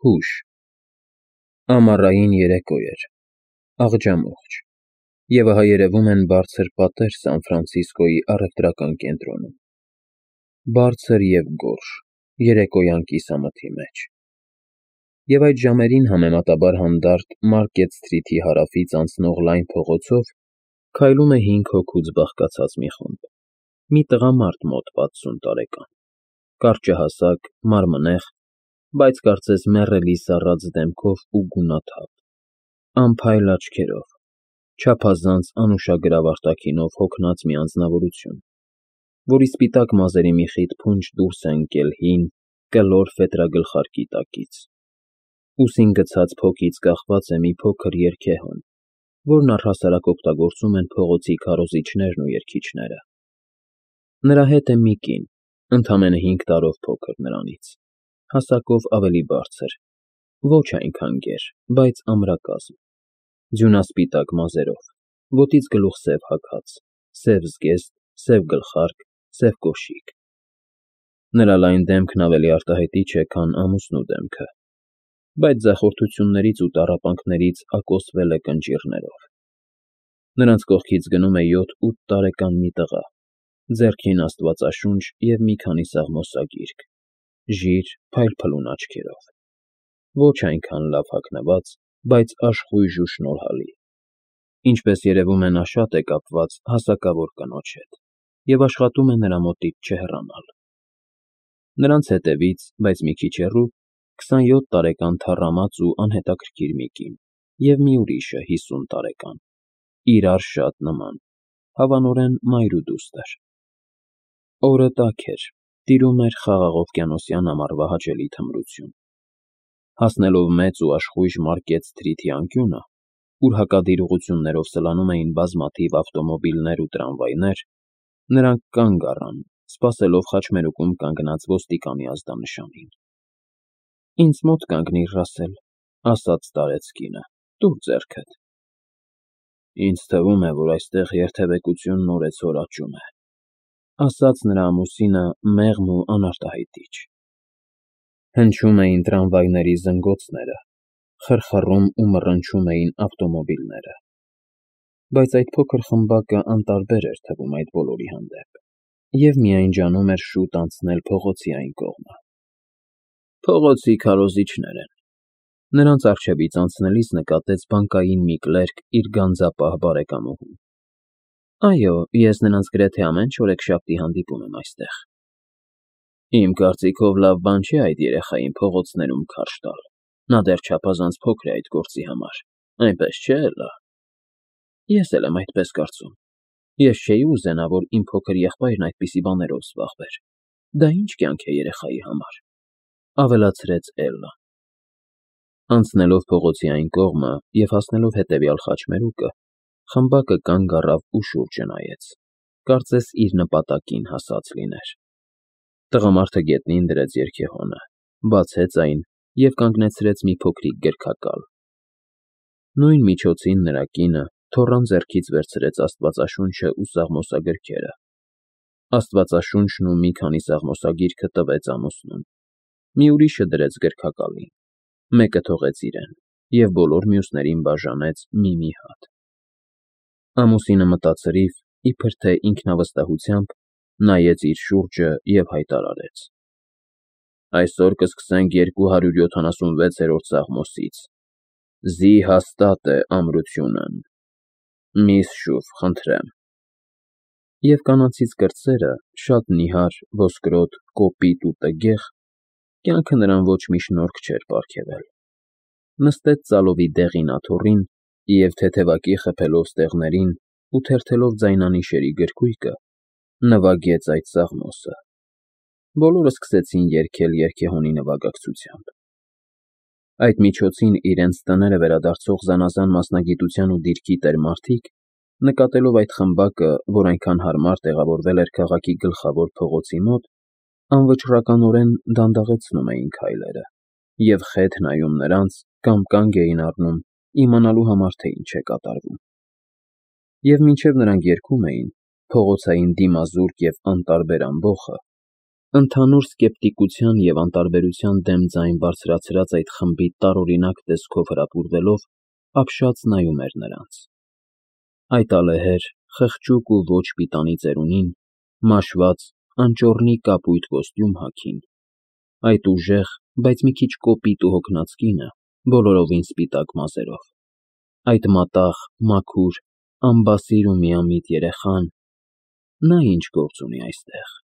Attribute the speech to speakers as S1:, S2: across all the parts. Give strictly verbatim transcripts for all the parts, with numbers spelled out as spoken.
S1: Հուշ Ամառային երեկո էր, աղջամուղջ, և ահա երևում են բարձր պատեր Սան Ֆրանցիսկոյի առևտրական կենտրոնում, բարձր և գորշ, երեկոյան կիսամթի մեջ, և այդ ժամերին համեմատաբար հանդարտ Մարկետ Սթրիթի հարավից անցնող լայն փողոցով քայլում է հինգ հոգուց բաղկացած մի խումբ, մի տղամարդ մոտ պատսուն տարեկան, կարճահասակ, մարմնեղ, բայց կարծես մեռելի սառած դեմքով ու գունաթափ, անփայլ աչքերով, չափազանց անուշագրավ արտաքինով հոգնած մի անձնավորություն, որի սպիտակ մազերի մի խիտ փունջ դուրս է ընկել հին, կլոր ֆետրագլխարկի տակից, ուսին գցած փոքից կախված է մի փոքր երգեհոն, որն առհասարակ օգտագործում են փողոցի քարոզիչներն ու երգիչները, նրա հետ է մի կին, ընդամենը հինգ տարով փոքր նրանից, հասակով ավելի բարձր, ոչ այնքան գեր, բայց ամրակազմ, ձյունասպիտակ մազերով, ոտից գլուխ սև հագած, սև զգեստ, սև գլխարկ, սև կոշիկ, նրա լայն դեմքն ավելի արտահայտիչ է, քան ամուսնու դեմքը, բայց ձախորդություններից ու տառապանքներից ակոսվել է կնճիռներով, նրանց կողքից գնում է յոթ֊ութ տարեկան մի տղա, ձեռքին աստվածաշունչ և մի քանի սաղմոսագիրք, ժիր, փայլփլուն աչքերով, ոչ այնքան լավ հագնված, բայց աշխույժ ու շնորհալի, ինչպես երևում է նա շատ է կապված հասակավոր կնոջ հետ և աշխատում է նրա մոտից չհեռանալ, նրանց հետևից, բայց մի քիչ հեռու, քսանյոթ տարեկան թառամած ու անհետաքրքիր մի կին և մի ուրիշը հիսուն տարեկան, իրար շատ նման, հավանորեն մայր ու դուստր, օրը տաք էր, տիրում էր խաղաղ օվկիանոսյան ամառվա հաճելի թմրություն, հասնելով մեծ ու աշխույժ Մարկետ Սթրիթի անկյունը, ուր հակադիր ուղղություններով սլանում էին բազմաթիվ ավտոմոբիլներ ու տրամվայներ, նրանք կանգ առան, սպասելով խաչմերուկում կանգնած ոստիկանի ազդանշանին։ ֊ Ինձ մոտ կանգնիր, Ռասել, ֊ ասաց տարեց կինը, ֊ տուր ձեռքդ։ ֊ Ինձ թվում է, որ այստեղ երթևեկությունն օրեցօր աճում է, ֊ ասաց նրա ամուսինը մեղմ ու անարտահայտիչ։ Հնչում էին տրամվայների զնգոցները, խռխռում ու մռնչում էին ավտոմոբիլները, բայց այդ փոքր խմբակը անտարբեր էր թվում այդ բոլորի հանդեպ և միայն ջանում էր շուտ անցնել փողոցի այն կողմը։ Փողոցի քարոզիչներ են, ֊ նրանց առջևից անցնելիս նկատեց բանկային մի կլերկ իր գանձապահ բարեկամուհուն։ ֊ Այո, ես նրանց գրեթե ամեն չորեքշաբթի հանդիպում եմ այստեղ։ ֊ Իմ կարծիքով լավ բան չէ այդ երեխային փողոցներում քարշ տալ, նա դեռ չափազանց փոքր է այդ գործի համար, այնպես չէ՞ Էլլա։ ֊ Ես էլ եմ այդպես կարծում, ես չէի ուզենա, որ իմ փոքր եղբայրն այդպիսի բաներով զբաղվեր, դա ի՞նչ կյանք է երեխայի համար, ֊ ավելացրեց Էլլան։ Անցնելով փողոցի այն կողմը և հասնելով հետևյալ խաչմերուկը, խմբակը կանգ առավ ու շուրջը նայեց, կարծես իր նպատակին հասած լիներ։ Տղամարդը գետնին դրեց երգեհոնը, բացեց այն և կանգնեցրեց մի փոքրիկ գրքակալ։ Նույն միջոցին նրա կինը թոռան ձեռքից վերցրեց աստվածաշունչը ու սաղմոսագրքերը, աստվածաշունչն ու մի քանի սաղմոսագիրքը տվեց ամուսնուն, մի ուրիշը դրեց գրքակալին, մեկը թողեց իրեն և բոլոր մյուսներին բաժանեց մի֊մի հատ։ Ամուսինը մտածրիվ, իբր թե ինքնավստահությամբ, նայեց իր շուրջը և հայտարարեց. Այսօր կսկսենք երկու հարյուր յոթանասունվեցերորդ սաղմոսից. «Զի հաստատ է ամրությունն»։ Միս շուֆ, խնդրեմ։ Եվ կանացից կրտսերը, շատ նիհար, ոսկրոտ, կոպիտ ու տգեղ, կյանքը նրան ոչ մի շնորհք չէր պարգևել, նստեց ծալովի դեղին աթոռին և, թեթևակի խփելով ստեղներին ու թերթելով ձայնանիշերի գրքույկը, նվագեց այդ սաղմոսը։ Բոլորը սկսեցին երգել երգեհոնի նվագակցությամբ։ Այդ միջոցին իրենց տները վերադարձող զանազան մասնագիտության ու դիրքի տեր մարդիկ, նկատելով այդ խմբակը, որ այնքան հարմար տեղավորվել էր քաղաքի գլխավոր փողոցի մոտ, անվճռականորեն դանդաղեցնում էին քայլերը և խեթ նայում նրանց կամ կանգ էին առնում իմանալու համար, թե ինչ է կատարվում։ Եվ մինչև նրանք երգում էին, փողոցային դիմազուրկ և անտարբեր ամբոխը Ընդհանուր սկեպտիկության և անտարբերության դեմ ձայն բարձրացրած այդ խմբի տարօրինակ տեսքով հրապուրվելով, ապշած նայում էր նրանց. այդ ալեհեր, խղճուկ ու ոչ պիտանի ծերունին, մաշված, անճոռնի կապույտ կոստյում հագին, այդ ուժեղ, բայց մի քիչ կոպիտ ու հոգնած կինը, բոլորովին սպիտակ մազերով, այդ մատաղ, մաքուր, անբասիր ու միամիտ երեխան, նա ինչ գործ ունի այստեղ…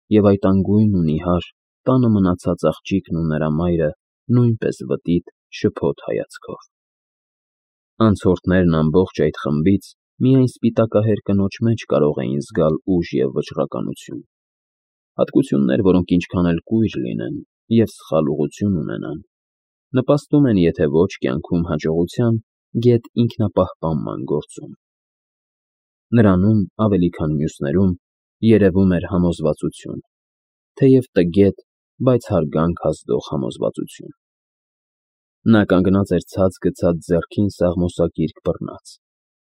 S1: Եվ այդ անգույն ու նիհար, տանը մնացած աղջիկն ու նրա մայրը նույնպես վտիտ, շփոթ հայացքով… Անցորդներն ամբողջ այդ խմբից միայն սպիտակահեր կնոջ մեջ կարող էին զգալ ուժ և վճռականություն, հատկություններ, որոնք ինչքան էլ կույր լինեն և սխալ ուղղություն ունենան, նպաստում են եթե ոչ կյանքում հաջողության, գեթ ինքնապահպանման գործում… Նրանում, ավելի քան մյուսներում, երևում էր համոզվածություն, թեև տգետ, բայց հարգանք ազդող համոզվածություն… Նա կանգնած էր ցած գցած ձեռքին սաղմոսակիրք բռնած,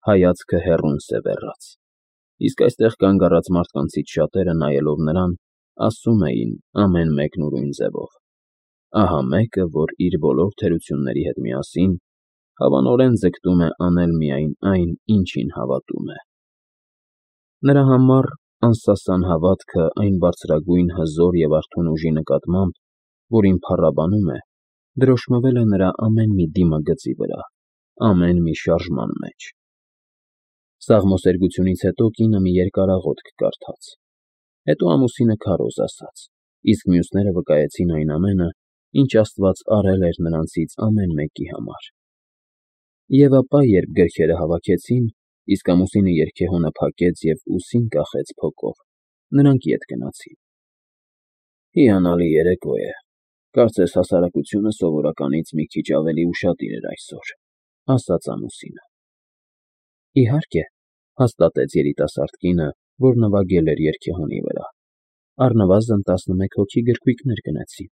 S1: հայացքը հեռուն սևեռած, իսկ այստեղ կանգ առած մարդկանցից շատերը, նայելով նրան, ասում էին, ամեն մեկն ուրույն ձևով. ահա մեկը, որ իր բոլոր թերությունների հետ միասին հավանորեն ձգտում է անել միայն այն, ինչին հավատում է… Նրա համար անսասան հավատքը այն բարձրագույն հզոր և արթուն ուժի նկատմամբ, որին փառաբանում է, դրոշմվել է նրա ամեն մի դիմագծի վրա, ամեն մի շարժման մեջ… Սաղմոսերգությունից հետո կինը մի երկարաղոթք կարդաց, հետո ամուսինը քարոզ ասաց, իսկ մյուսները վկայեցին այն ամենը, ինչ Աստված արել էր նրանցից ամեն մեկի համար… Եվ ապա, երբ գրքերը հավաքեցին, իսկ ամուսինը երգեհոնը փակեց և ուսին կախեց փոկով, նրանք ետ գնացին… Հիանալի երեկո է, կարծես հասարակությունը սովորականից մի քիչ ավելի ուշադիր էր այսօր, ֊ ասաց ամուսինը։ ֊ Իհարկե, ֊ հաստատեց երիտասարդ կինը, որ նվագել էր երգեհոնի վրա, ֊ առնվազն տասնմեկ հոգի գրքույկներ գնեցին…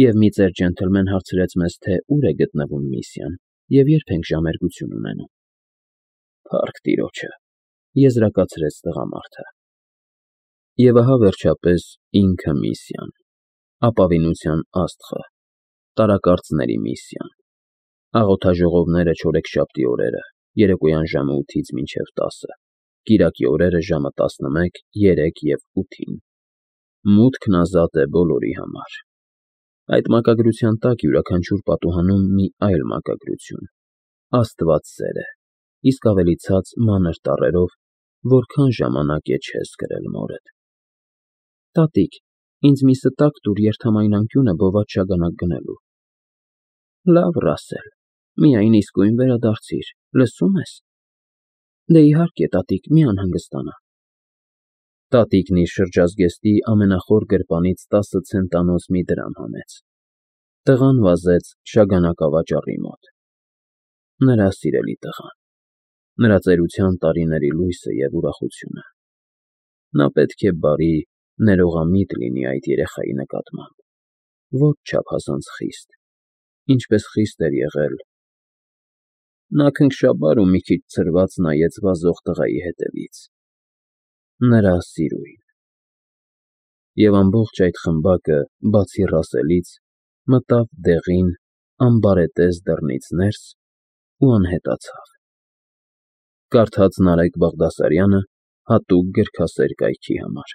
S1: Եվ մի ծեր ջենթլմեն հարցրեց մեզ, թե ուր է գտնվում Միսիան և երբ ենք ժամերգություն ունենում… ֊ Փառք տիրոջը, ֊ եզրակացրեց տղամարդը։ Եվ ահա, վերջապես, ինքը Միսիան, ապավինության աստղը, տարակարծների Միսիան… Աղոթաժողովները չորեքշաբթի օրերը, երեկոյան ժամը ութից մինչև տասը, կիրակի օրերը ժամը տասնմեկ, երեք և ութին… Մուտքն ազատ է բոլորի համար… Այդ մակագրության տակ յուրաքանչյուր պատուհանում մի այլ մակագրություն, Աստված սեր է, իսկ ավելի ցած մանր տառերով, որքան ժամանակ է չես կրել մորդ… ֊ Տատիկ, ինձ մի ստակ տուր երթամայն անկյունը բոված շագանակ գնելու… ֊ Լավ, Ռասել, միայն իսկույն վերադարձիր, լսո՞ւմ ես… ֊ Դե, իհարկե, տատիկ, մի անհանգստանա… Տատիկն իր շրջազգեստի ամենախոր գրպանից տասը ցենտանոց մի դրամ հանեց… Տղան վազեց շագանակավաճառի մոտ… Նրա սիրելի տղան… Նրա ծերության տարիների լույսը և ուրախությունը… Նա պետք է բարի, ներողամիտ լինի այդ երեխայի նկատմամբ, ոչ չափազանց խիստ, ինչպես խիստ էր եղել… Նա քնքշաբար ու մի քիչ ցրված նայեց վազող տղայի հետևից… Նրա սիրուն… Եվ ամբողջ այդ խմբակը, բացի Ռասելից, մտավ դեղին, անբարետես դռնից ներս ու անհետացավ… Կարդաց Նարեկ Բաղդասարյանը հատուկ գրքասեր կայքի համար։